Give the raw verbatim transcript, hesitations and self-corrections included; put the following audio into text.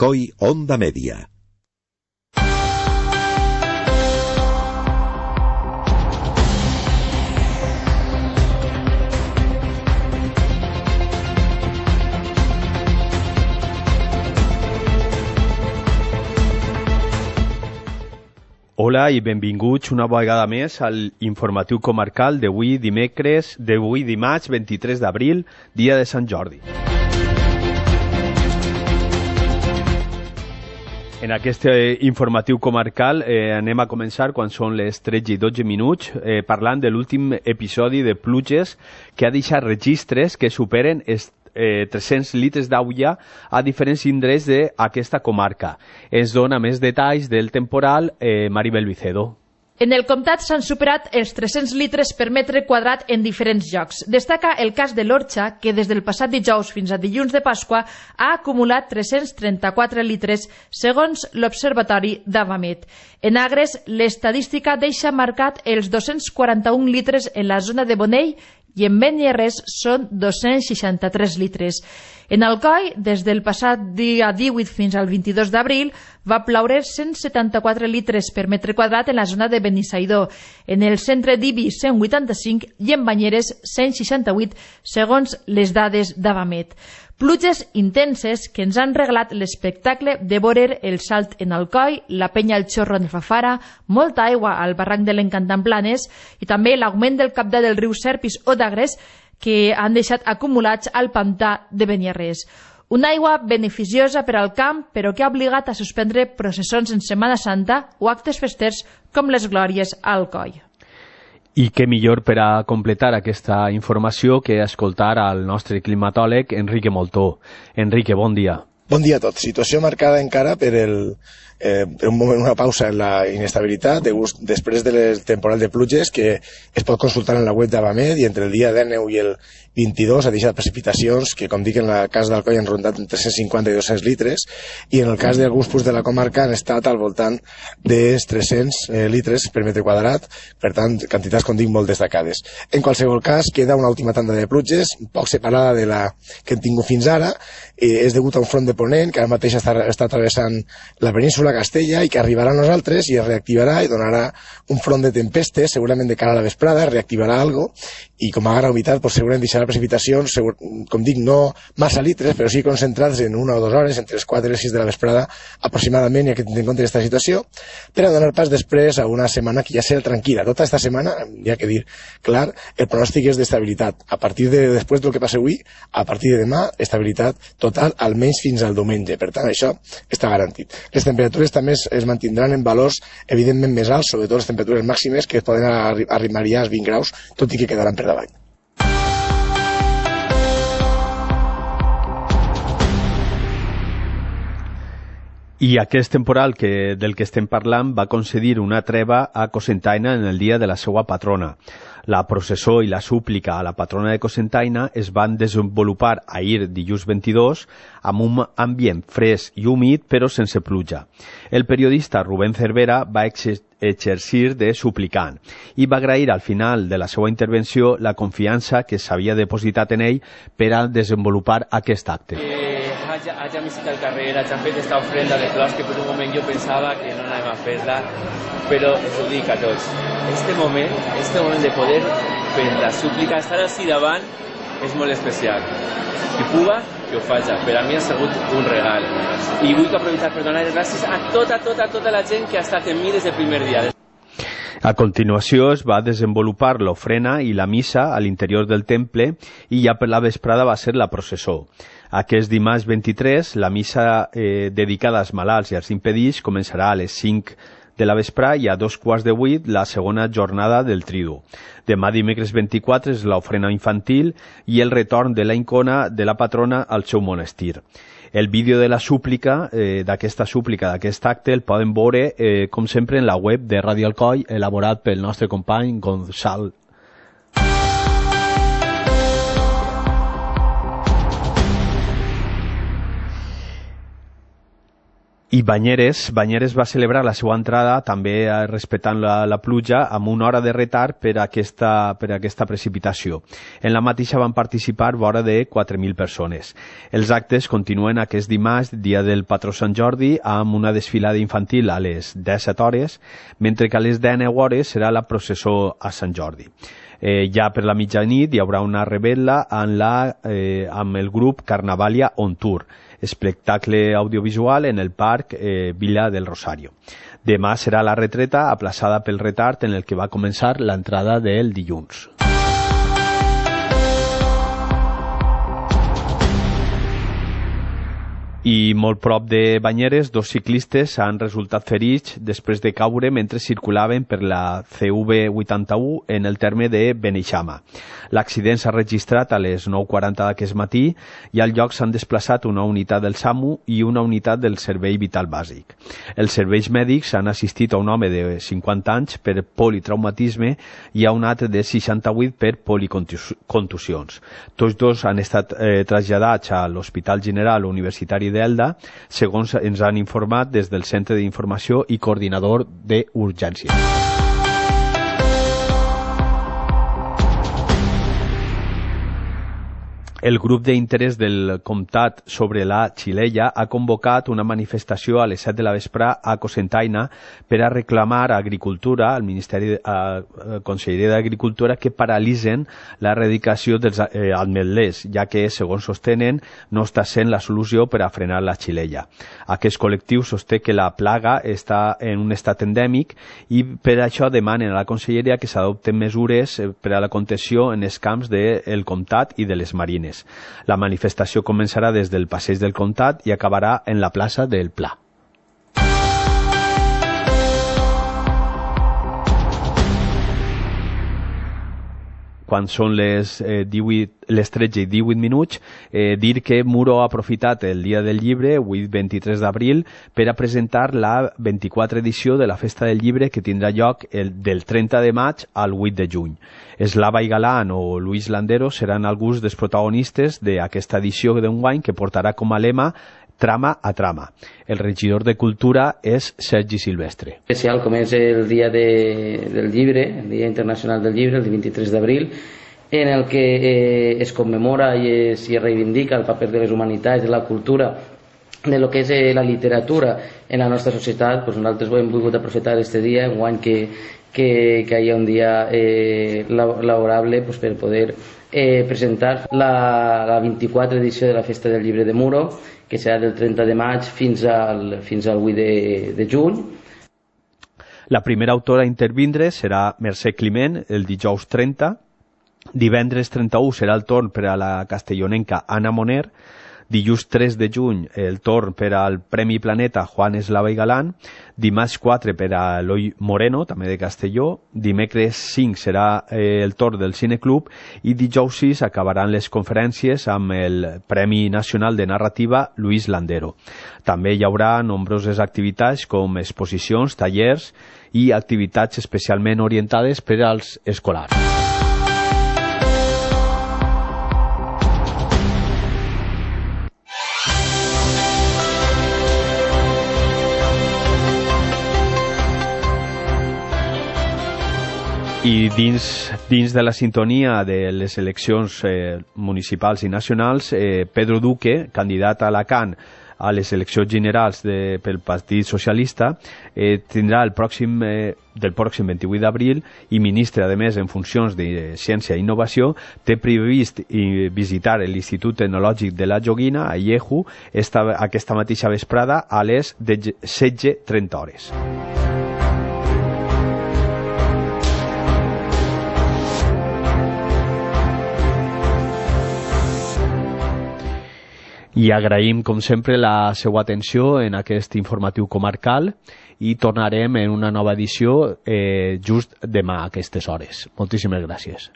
C O I Onda Media. Hola i benvinguts una vegada més al informatiu comarcal d'avui dimecres, d'avui dimarts vint-i-tres d'abril, dia de Sant Jordi. En aquest informatiu comarcal eh, anem a començar quan són les tretze i dotze minuts eh, parlant de l'últim episodi de pluges que ha deixat registres que superen est Eh, tres-cents litres d'aigua a diferents indrets d'aquesta comarca. Ens dona més detalls del temporal eh, Maribel Vicedo. En el comtat s'han superat els tres-cents litres per metre quadrat en diferents llocs. Destaca el cas de l'Orxa, que des del passat dijous fins a dilluns de Pasqua ha acumulat tres-cents trenta-quatre litres, segons l'Observatori d'Avamet. En Agres, l'estadística deixa marcat els dos-cents quaranta-un litres en la zona de Bonell i en Beniarrés són dos-cents seixanta-tres litres. En Alcoi, des del passat dia divuit fins al vint-i-dos d'abril, va ploure cent setanta-quatre litres per metre quadrat en la zona de Benissaïdó, en el centre d'Ibi cent vuitanta-cinc i en Banyeres cent seixanta-vuit, segons les dades d'Avamet. Pluges intenses que ens han regalat l'espectacle de veure el salt en Alcoi, la penya al Xorro en Fafara, molta aigua al barranc de l'Encantant Planes i també l'augment del cabdal del riu Serpis o d'Agres que han deixat acumulats al pantà de Beniarrés. Una aigua beneficiosa per al camp, però que ha obligat a suspendre processons en Setmana Santa o actes festers com les Glòries a Alcoi. I què millor per a completar aquesta informació que escoltar al nostre climatòleg Enrique Moltó. Enrique, bon dia. Bon dia a tots. Situació marcada encara per el, eh, per un moment una pausa en la inestabilitat de gust, després del temporal de pluges que es pot consultar en la web d'Avamet i entre el dia dinou i el vint-i-dos ha deixat precipitacions que, com dic, en el cas d'Alcoi han rondat entre cent cinquanta i dos-cents litres i en el cas d'alguns punts de la comarca han estat al voltant dels tres-cents eh, litres per metre quadrat, per tant, quantitats, com dic, molt destacades. En qualsevol cas, queda una última tanda de pluges, poc separada de la que hem tingut fins ara, eh, és degut a un front de ponent que ara mateix està, està travessant la península Castella i que arribarà a nosaltres i es reactivarà i donarà un front de tempestes, segurament de cara a la vesprada, reactivarà algo i com a gran humitat, pues, segurament deixarà precipitacions, segur, com dic, no massa litres, però sí concentrats en una o dues hores, entre les quatre i les sis de la vesprada aproximadament, i que tindre en compte aquesta situació, per a donar pas després a una setmana que ja serà tranquil·la. Tota aquesta setmana, hi ha que dir, clar, el pronòstic és d'estabilitat. A partir de després del que passa avui, a partir de demà, estabilitat total, almenys fins al diumenge. Per tant, això està garantit. Les temperatures també es, es mantindran en valors evidentment més alts, sobretot les temperatures màximes que poden arribar ja als vint graus, tot i que quedaran per davant. I aquest temporal que, del que estem parlant va concedir una treva a Cocentaina en el dia de la seva patrona. La processó i la súplica a la patrona de Cocentaina es van desenvolupar ahir dilluns vint-i-dos amb un ambient fresc i humit però sense pluja. El periodista Rubén Cervera va exercir de suplicant i va agrair al final de la seva intervenció la confiança que s'havia depositat en ell per a desenvolupar aquest acte. Haya, haya visita al carrer, haya fet esta ofrenda de flors que per un moment jo pensava que no anàvem a fer-la, però us ho dic a tots, este moment, este moment de poder fer la súplica, estar així davant, és molt especial. Que puga, que ho faci. Per a mi ha sigut un regal. I vull aprofitar per donar les gràcies a tota, tota, tota la gent que ha estat en mi des del primer dia. A continuació es va desenvolupar l'ofrena i la missa a l'interior del temple i ja per la vesprada va ser la processó. Aquest dimarts vint-i-tres, la missa eh, dedicada als malalts i als impedits començarà a les cinc de la vesprà i a dos quarts de vuit la segona jornada del Tridu. Demà dimecres vint-i-quatre és l'ofrena infantil i el retorn de la icona de la patrona al seu monestir. El vídeo de la súplica, eh, d'aquesta súplica, d'aquest acte, el poden veure, eh, com sempre, en la web de Ràdio Alcoi, elaborat pel nostre company Gonçal. I Banyeres, Banyeres va celebrar la seva entrada també respectant la, la pluja amb una hora de retard per a aquesta, per a aquesta precipitació. En la mateixa van participar vora de quatre mil persones. Els actes continuen aquest dimarts, dia del patró Sant Jordi, amb una desfilada infantil a les disset hores, mentre que a les dinou hores serà la processó a Sant Jordi. Eh, ja per la mitjanit hi haurà una revetla amb, la, eh, amb el grup Carnavalia on Tour, espectacle audiovisual en el parc eh, Villa del Rosario. Demà serà la retreta aplaçada pel retard en el que va començar l'entrada del dilluns. I molt prop de Banyeres, dos ciclistes han resultat ferits després de caure mentre circulaven per la C V vuitanta-u en el terme de Beneixama. L'accident s'ha registrat a les nou quaranta d'aquest matí i al lloc s'han desplaçat una unitat del SAMU i una unitat del Servei Vital Bàsic. Els serveis mèdics han assistit a un home de cinquanta anys per politraumatisme i a un altre de seixanta-vuit per policontusions. Tots dos han estat eh, traslladats a l'Hospital General Universitari d'Elda, segons ens han informat des del Centre d'Informació i Coordinador d'Urgències. El grup d'interès del comtat sobre la Xilella ha convocat una manifestació a les set de la vesprà a Cocentaina per a reclamar a Agricultura, al Ministeri de a Conselleria d'Agricultura, que paralitzen l'erradicació dels eh, ametllers, ja que, segons sostenen, no està sent la solució per a frenar la Xilella. Aquest col·lectiu sosté que la plaga està en un estat endèmic i per això demanen a la Conselleria que s'adopten mesures per a la contenció en els camps del comtat i de les marines. La manifestació començarà des del passeig del comtat i acabarà en la plaça del Pla. Quan són les, eh, divuit, les tretze i divuit minuts, eh, dir que Muro ha aprofitat el dia del llibre, avui vint-i-tres d'abril, per a presentar la vint-i-quatre edició de la Festa del Llibre que tindrà lloc el, del trenta de maig al vuit de juny. Eslava i Galán o Luis Landero seran alguns dels protagonistes d'aquesta edició d'enguany que portarà com a lema Trama a trama. El regidor de Cultura és Sergi Silvestre. Especial com és el dia de, del llibre, el Dia Internacional del Llibre, el vint-i-tres d'abril, en el que eh, es commemora i es, i es reivindica el paper de les humanitats, de la cultura, de lo que és eh, la literatura en la nostra societat. Pues nosaltres ho hem volgut aprofitar este dia, un any que, que, que hi ha un dia eh, laborable pues, per poder eh, presentar la, la vint-i-quatre edició de la Festa del Llibre de Muro, que serà del trenta de maig fins al, fins al vuit de, de juny. La primera autora a intervindre serà Mercè Climent, el dijous trenta. Divendres trenta-u serà el torn per a la castellonenca Anna Moner. Dilluns tres de juny el torn per al Premi Planeta Juan Eslava i Galán. Dimarts quatre per a Eloi Moreno, també de Castelló. Dimecres cinc serà eh, el torn del Cineclub i dijous sis acabaran les conferències amb el Premi Nacional de Narrativa Luis Landero. També hi haurà nombroses activitats com exposicions, tallers i activitats especialment orientades per als escolars. I dins, dins de la sintonia de les eleccions eh, municipals i nacionals, eh, Pedro Duque, candidat a Alacant a les eleccions generals de, pel Partit Socialista, eh, tindrà el pròxim, eh, del pròxim vint-i-vuit d'abril i ministre, a més, en funcions de Ciència i Innovació, té previst eh, visitar l'Institut Tecnològic de la Joguina, a Ieju, esta, aquesta mateixa vesprada a les setze trenta hores. I agraïm, com sempre, la seva atenció en aquest informatiu comarcal i tornarem en una nova edició eh, just demà a aquestes hores. Moltíssimes gràcies.